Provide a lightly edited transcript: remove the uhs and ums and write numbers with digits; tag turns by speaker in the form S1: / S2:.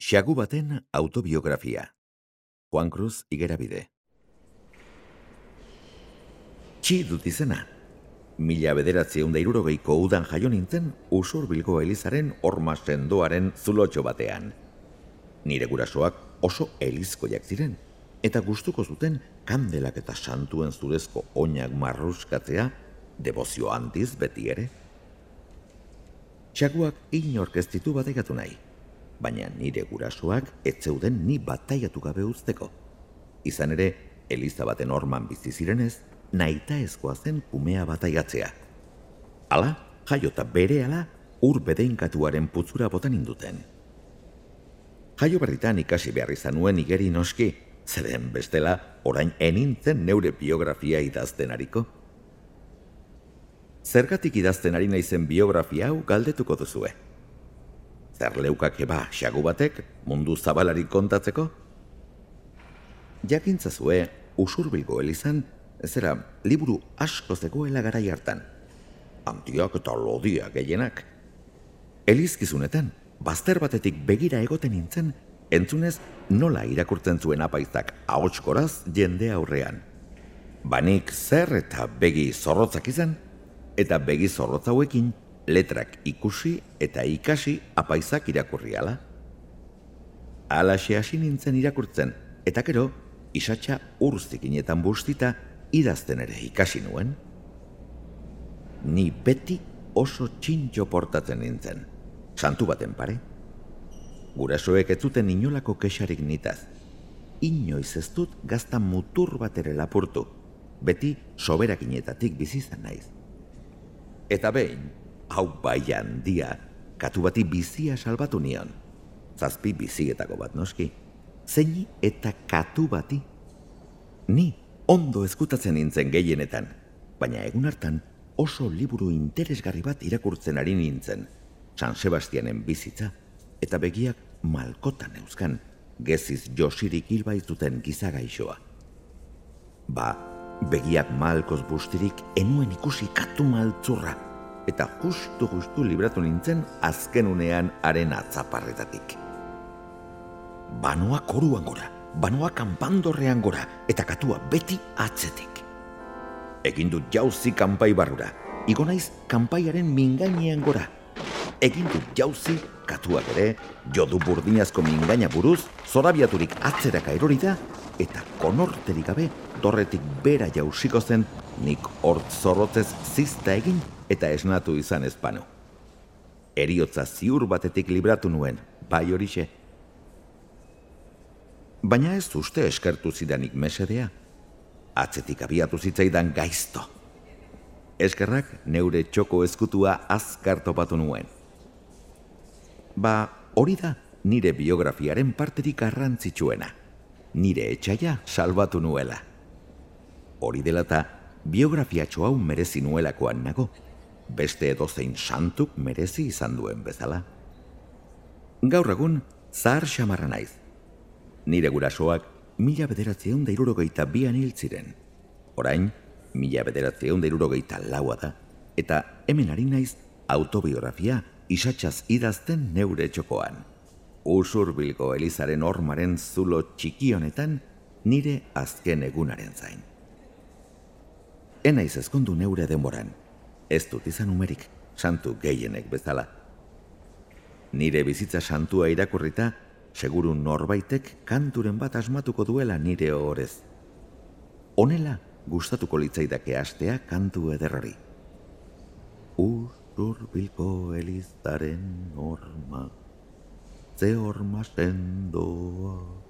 S1: Xagu baten autobiografia. Juan Cruz Igerabide. Txi dut izena. 1960ko udan jaio nintzen Usurbilgo Elizaren horma sendoaren zulotxo batean. Nire gurasoak oso elizkoiak ziren, eta gustuko zuten kandelak eta santuen zurezko oinak marruskatzea debozio handiz beti ere. Xaguak inork ez ditu bataiatu nahi, baina nire gurasoak ez zeuden ni bataiatu gabe uzteko. Izan ere, eliza baten horman bizi zirenez, nahitaezkoa zen kumea bataiatzea. Hala, jaiota berehala, ur bedeinkatuaren putzura botan induten. Jaio berritan ikasi behar izan nuen igeri noski, zeren bestela orain enintzen neure biografia idazten ariko. Zergatik idazten ari naizen biografia hau galdetuko duzue. Zer leukake ba Xagu batek mundu zabalari kontatzeko? Jakintzazue, Usurbilgo Elizan, zera liburu asko zegoela garai hartan. Handiak eta lodiak gehienak. Elizkizunetan, bazter batetik begira egoten nintzen, entzunez nola irakurtzen zuen apaizak ahotskoraz jende aurrean. Banik zer eta begi zorrotzak izan, eta begi zorrotz hauekin letrak ikusi eta ikasi apaizak irakurriala. Alaxe hasi nintzen irakurtzen, eta gero, isatxa urzikinetan bustita idazten ere ikasi nuen. Ni beti oso txintxo portatzen nintzen, santu baten pare. Gurasoek ez zuten inolako kexarik nitaz. Inoiz ez dut gazta mutur bat ere lapurtu, beti soberakinetatik bizizan naiz. Eta behin, hau bai handia, katu bati bizia salbatu nion. 7 bizietako bat noski. Zeini eta katu bati. Ni ondo ezkutatzen nintzen gehienetan, baina egun hartan oso liburu interesgarri bat irakurtzen ari nintzen, San Sebastianen bizitza, eta begiak malkotan euskan, geziz josirik hilbaizuten gizagaixoa. Ba, begiak malkoz bustirik enuen ikusi katu maltzurra, eta justu libratu nintzen azken unean haren atzaparretatik. Banoa koruan gora, banoa kanpandorrean gora, eta katua beti atzetik. Egin dut jauzi kanpai barrura, igo naiz kanpaiaren mingainean gora. Egin dut jauzi, katuak ere, jodu burdinazko mingaina buruz, zorabiaturik atzeraka erori da, eta konorterik gabe, dorretik bera jausiko zen, nik hort zorrotzez zizta egin eta esnatu izan ezpanu. Heriotza ziur batetik libratu nuen, bai horixe. Baina ez uste eskertu zidanik mesedea. Atzetik abiatu zitzaidan gaizto. Eskerrak neure txoko ezkutua azkar topatu nuen. Ba, hori da nire biografiaren parterik garrantzitsuena. Nire etxaia salbatu nuela. Hori dela eta biografiatxo hau merezi nuelakoan nago. Beste edozein santuk merezi izan duen bezala. Gaur egun, zahar xamarra naiz. Nire gurasoak 1962an hil ziren. Orain, 1964a da, eta hemen ari naiz autobiografia isatxaz idazten neure txokoan. Usurbilgo Elizaren hormaren zulo txiki honetan nire azken egunaren zain. Enaiz ezkondu neure denboran, ez dut izan umerik, santu gehienek bezala. Nire bizitza santua irakurrita, seguru norbaitek kanturen bat asmatuko duela nire ohorez. Honela gustatuko litzaidake hastea kantu ederrari. Usurbilgo Elizaren horma, ze horma sendoa.